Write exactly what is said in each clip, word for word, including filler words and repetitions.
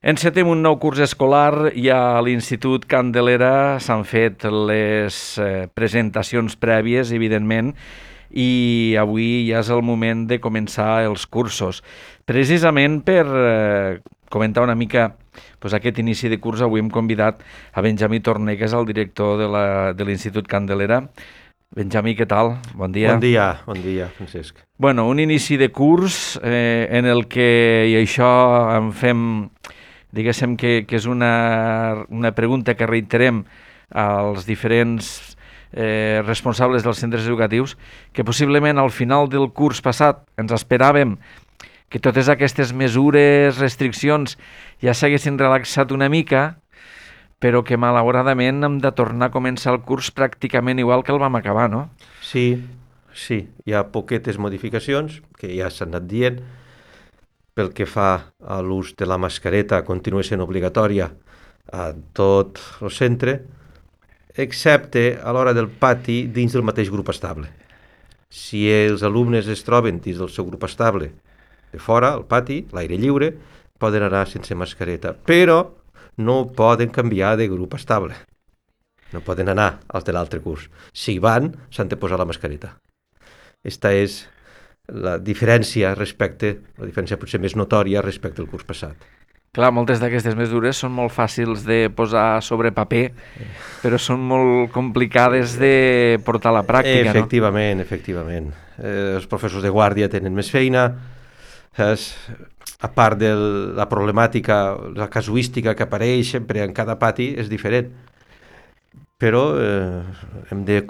Encetem un nou curs escolar i a l'Institut Candelera s'han fet les eh, presentacions prèvies, evidentment, i avui ja és el moment de començar els cursos. Precisament per eh, comentar una mica pues, aquest inici de curs, avui hem convidat a Benjamí Torné, que és el director de la, de l'Institut Candelera. Benjamí, què tal? Bon dia. Bon dia, bon dia, Francesc. Bueno, un inici de curs eh, en el que, i això en fem, diguéssim que, que és una, una pregunta que reiterem als diferents eh, responsables dels centres educatius, que possiblement al final del curs passat ens esperàvem que totes aquestes mesures, restriccions, ja s'haguessin relaxat una mica, però que malauradament hem de tornar a començar el curs pràcticament igual que el vam acabar, no? Sí, sí, hi ha poquetes modificacions que ja s'han anat dient. Pel que fa a l'ús de la mascareta, continua sent obligatòria a tot el centre, excepte a l'hora del pati dins del mateix grup estable. Si els alumnes es troben dins del seu grup estable de fora, al pati, l'aire lliure, poden anar sense mascareta, però no poden canviar de grup estable. No poden anar als de l'altre curs. Si van, s'han de posar la mascareta. Esta és la diferència respecte, la diferència potser més notòria respecte al curs passat. Clar, moltes d'aquestes mesures són molt fàcils de posar sobre paper, però són molt complicades de portar a la pràctica, efectivament, no? Efectivament, eh, els professors de guàrdia tenen més feina, és, a part de la problemàtica, la casuística que apareix sempre en cada pati és diferent, però eh, hem de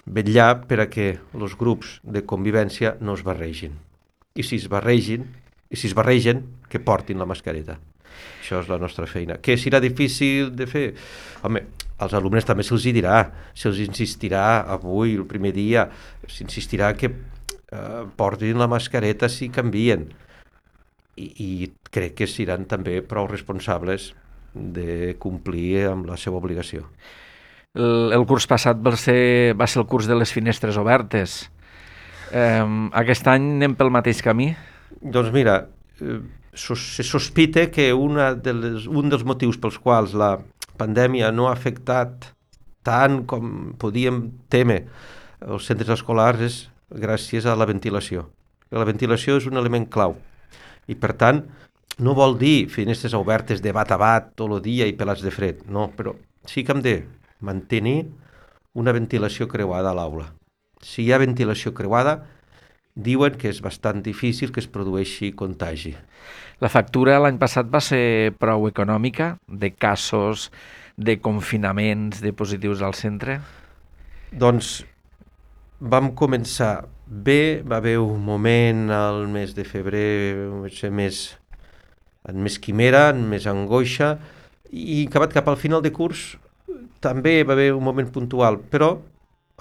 vetllar per a que els grups de convivència no es barregin. I si es barregin, i si es barregen, que portin la mascareta. Això és la nostra feina. Que serà difícil de fer? Home, als alumnes també se'ls dirà, se'ls insistirà avui, el primer dia, s'insistirà que eh, portin la mascareta si canvien. I, i crec que seran també prou responsables de complir amb la seva obligació. El, el curs passat va ser, va ser el curs de les finestres obertes. Eh, aquest any anem pel mateix camí? Doncs mira, eh, se sospita que una de les, un dels motius pels quals la pandèmia no ha afectat tant com podíem témer els centres escolars és gràcies a la ventilació. La ventilació és un element clau. I per tant, no vol dir finestres obertes de bat a bat tot el dia i pelats de fred, no, però sí que hem de mantenir una ventilació creuada a l'aula. Si hi ha ventilació creuada, diuen que és bastant difícil que es produeixi contagi. La factura l'any passat va ser prou econòmica, de casos, de confinaments, de positius al centre? Doncs vam començar bé, va haver un moment al mes de febrer, més, en més quimera, en més angoixa, i acabat cap al final de curs també va haver un moment puntual, però,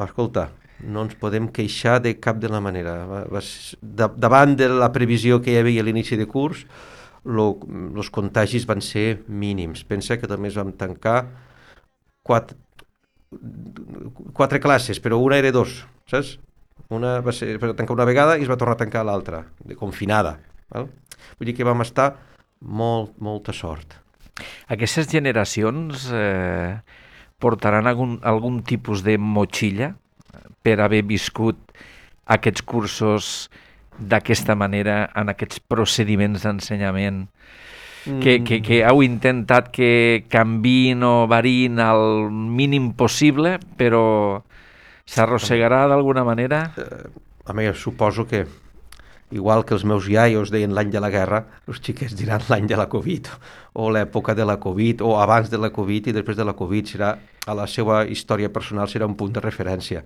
escolta, no ens podem queixar de cap de la manera. Va, va, de, davant de la previsió que hi havia a l'inici de curs, els contagis van ser mínims. Pensa que també vam tancar quatre, quatre classes, però una era dos, saps? Una va ser per tancar una vegada i es va tornar a tancar l'altra, de confinada. Val? Vull dir que vam estar molt, molta sort. Aquestes generacions eh, portaran algun, algun tipus de motxilla per haver viscut aquests cursos d'aquesta manera, en aquests procediments d'ensenyament, mm. que, que, que heu intentat que canviïn o variïn al mínim possible, però s'arrossegarà d'alguna manera? Eh, a mi suposo que, igual que els meus iaios deien l'any de la guerra, els xiquets diran l'any de la Covid, o l'època de la Covid, o abans de la Covid i després de la Covid, serà, a la seva història personal serà un punt de referència.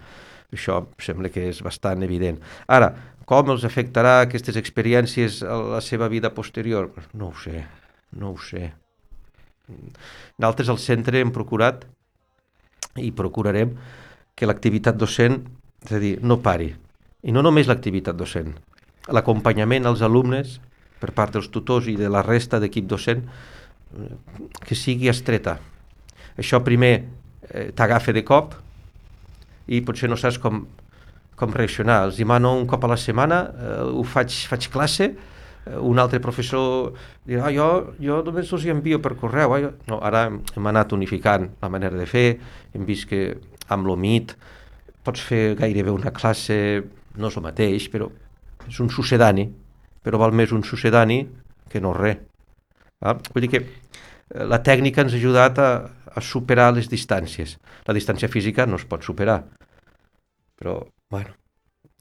Això sembla que és bastant evident. Ara, com els afectarà aquestes experiències a la seva vida posterior? No ho sé, no ho sé. Nosaltres al centre hem procurat i procurarem que l'activitat docent, és a dir, no pari. I no només l'activitat docent, l'acompanyament als alumnes per part dels tutors i de la resta d'equip docent, que sigui estreta. Això primer eh, t'agafa de cop i potser no saps com, com reaccionar. Els demano un cop a la setmana, eh, ho faig, faig classe, un altre professor dirà, ah, jo, jo només els hi envio per correu. Eh? No, ara hem anat unificant la manera de fer, hem vist que amb l'O M I T pots fer gairebé una classe, no és el mateix, però és un sucedani, però val més un sucedani que no res. Ah? Vull dir que la tècnica ens ha ajudat a, a superar les distàncies. La distància física no es pot superar, però, bueno,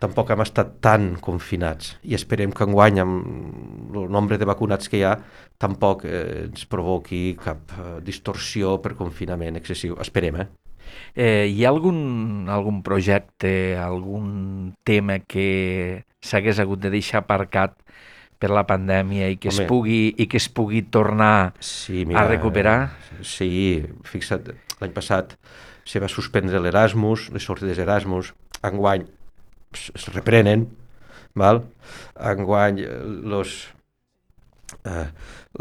tampoc hem estat tan confinats i esperem que enguany, amb el nombre de vacunats que hi ha, tampoc eh, ens provoqui cap eh, distorsió per confinament excessiu. Esperem, eh? Eh, hi ha algun, algun projecte, algun tema que s'hagués hagut de deixar aparcat per la pandèmia i que, Home, es, pugui, i que es pugui tornar sí, mira, a recuperar? Sí, fixa't, l'any passat se va suspendre l'Erasmus, les sortides Erasmus, enguany es reprenen, val? Enguany los, eh,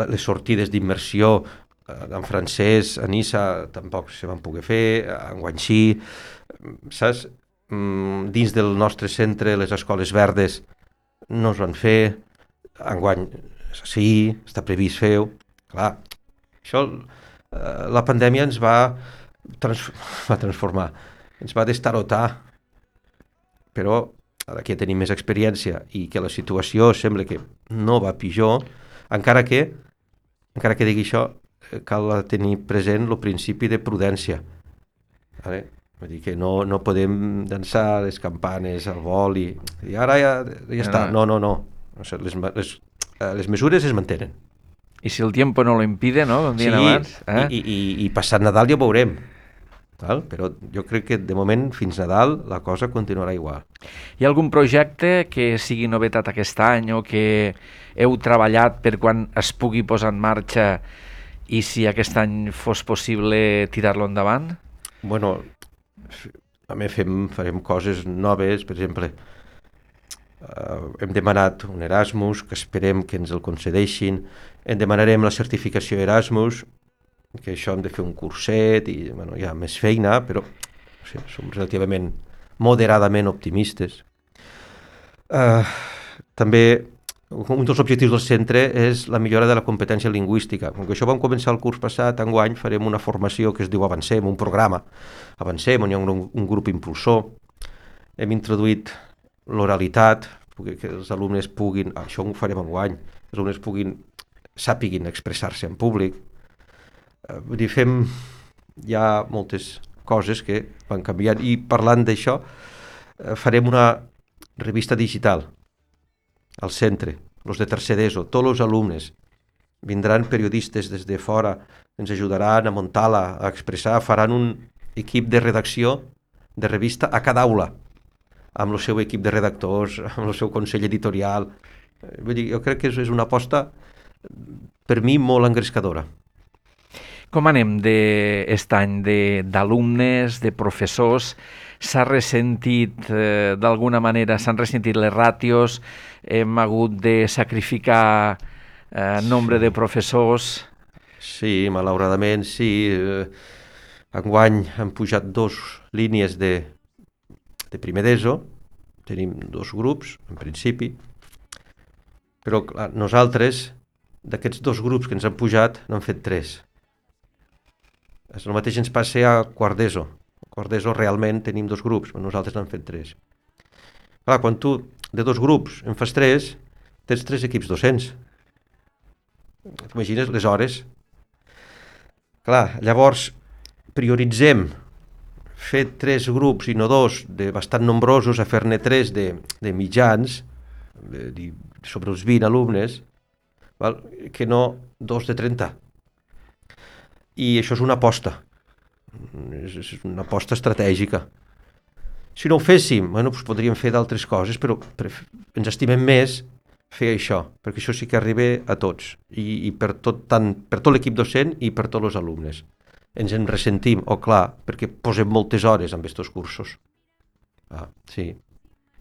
les sortides d'immersió en francès, a Niça tampoc se van poder fer, enguany sí, saps? Dins del nostre centre, les escoles verdes no es van fer, enguany sí, està previst fer-ho. Clar, això, la pandèmia ens va, trans va transformar, ens va destarotar, però ara que tenim més experiència i que la situació sembla que no va pitjor, encara que, encara que digui això, cal tenir present el principi de prudència. Vale? Vull dir que no, no podem llançar les campanes al vol i, i ara ja, ja està. No, no, no. O sigui, les, les, les mesures es mantenen. I si el tiempo no lo impide, no? Com deien sí, abans. Eh? i, i, i passat Nadal ja ho veurem. Val? Però jo crec que de moment fins Nadal la cosa continuarà igual. Hi ha algun projecte que sigui novetat aquest any o que heu treballat per quan es pugui posar en marxa i si aquest any fos possible tirar-lo endavant? Bueno, també fem, farem coses noves, per exemple, eh, hem demanat un Erasmus, que esperem que ens el concedeixin, en demanarem la certificació Erasmus, que això hem de fer un curset i bueno, hi ha més feina, però o sigui, som relativament moderadament optimistes. Eh, també un dels objectius del centre és la millora de la competència lingüística. Com que això vam començar el curs passat, enguany farem una formació que es diu Avancem, un programa Avancem, on hi ha un, un grup impulsor. Hem introduït l'oralitat, que els alumnes puguin, això ho farem enguany, els alumnes puguin, sàpiguin expressar-se en públic. Vull dir, fem ja moltes coses que van canviant i parlant d'això farem una revista digital al centre, els de tercer d'ESO, tots els alumnes. Vindran periodistes des de fora, ens ajudaran a muntar-la, a expressar, faran un equip de redacció de revista a cada aula, amb el seu equip de redactors, amb el seu consell editorial. Vull dir, jo crec que és una aposta, per mi, molt engrescadora. Com anem d'aquest any d'alumnes, de, de professors? S'ha ressentit, eh, d'alguna manera, s'han ressentit les ràtios, hem hagut de sacrificar eh, nombre sí. de professors? Sí, malauradament, sí. Eh, enguany han pujat dos línies de, de primer d'ESO, tenim dos grups, en principi, però clar, nosaltres, d'aquests dos grups que ens han pujat, n'han fet tres. El mateix ens passa a quart d'ESO. A quart d'ESO realment tenim dos grups, però nosaltres n'han fet tres. Clar, quan tu de dos grups en fas tres, tens tres equips docents. T'imagines les hores? Clar, llavors prioritzem fer tres grups i no dos de bastant nombrosos a fer-ne tres de, de mitjans, de, de, sobre els vint alumnes, val? Que no dos de trenta. I això és una aposta, és una aposta estratègica. Si no ho féssim, bueno, doncs podríem fer d'altres coses, però ens estimem més fer això, perquè això sí que arriba a tots, i, i per tot, tant, per tot l'equip docent i per tots els alumnes. Ens en ressentim, o oh, clar, perquè posem moltes hores en aquests cursos. Ah, sí,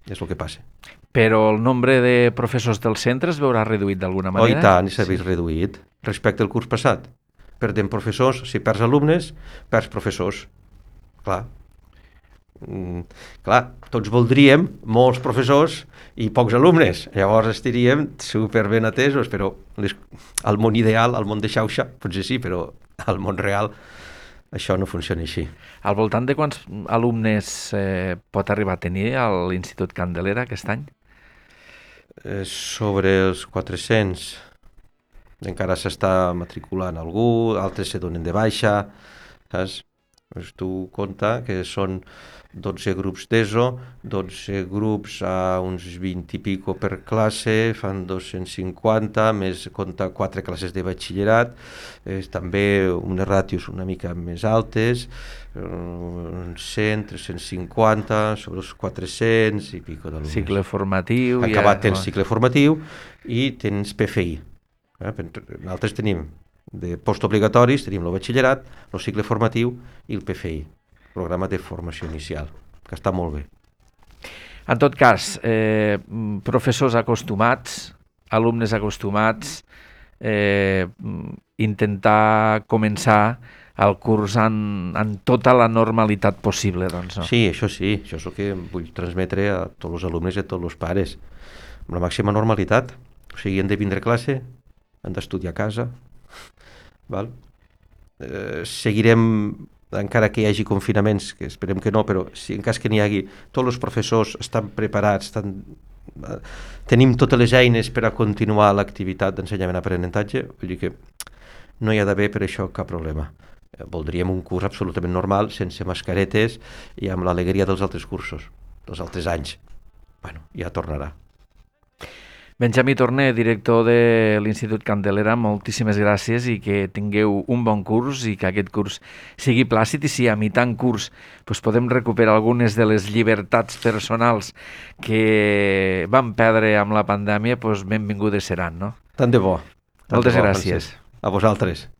és el que passa. Però el nombre de professors del centre es veurà reduït d'alguna manera? Oh, i tant, s'ha vist sí. reduït respecte al curs passat. Perdem professors, si perds alumnes, perds professors. Clar. Mm, clar, tots voldríem molts professors i pocs alumnes, llavors estaríem super ben atesos, però les, al món ideal, al món de xauxa, potser sí, però al món real això no funciona així. Al voltant de quants alumnes eh, pot arribar a tenir a l'Institut Candelera aquest any? Eh, sobre els quatre-cents, encara s'està matriculant algú, altres se donen de baixa, saps? Pues tu compta que són dotze grups d'ESO, dotze grups a uns vint i pico per classe, fan dos-cents cinquanta, més compta quatre classes de batxillerat, eh, també unes ràtios una mica més altes, eh, cent, tres-cents cinquanta, sobre els quatre-cents i pico d'alumnes. Cicle formatiu... Acabat ja... tens cicle formatiu i tens P F I. Eh? Nosaltres tenim de postobligatoris, tenim el batxillerat, el cicle formatiu i el P F I, programa de formació inicial, que està molt bé. En tot cas, eh, professors acostumats, alumnes acostumats, eh, intentar començar el curs en, en tota la normalitat possible, doncs, no? Sí, això sí, això és el que vull transmetre a tots els alumnes i a tots els pares, amb la màxima normalitat. O sigui, han de vindre a classe, han d'estudiar a casa, val? Eh, seguirem, encara que hi hagi confinaments, que esperem que no, però si en cas que n'hi hagi, tots els professors estan preparats, estan, eh, tenim totes les eines per a continuar l'activitat d'ensenyament-aprenentatge, vull dir que no hi ha d'haver per això cap problema. Eh, voldríem un curs absolutament normal, sense mascaretes i amb l'alegria dels altres cursos, dels altres anys. Bueno, ja tornarà. Benjamí Torné, director de l'Institut Candelera, moltíssimes gràcies i que tingueu un bon curs i que aquest curs sigui plàcid i si a mitjan curs doncs podem recuperar algunes de les llibertats personals que vam perdre amb la pandèmia, doncs benvingudes seran, no? Tant de bo. Tant Moltes de bo, gràcies. Francesc. A vosaltres.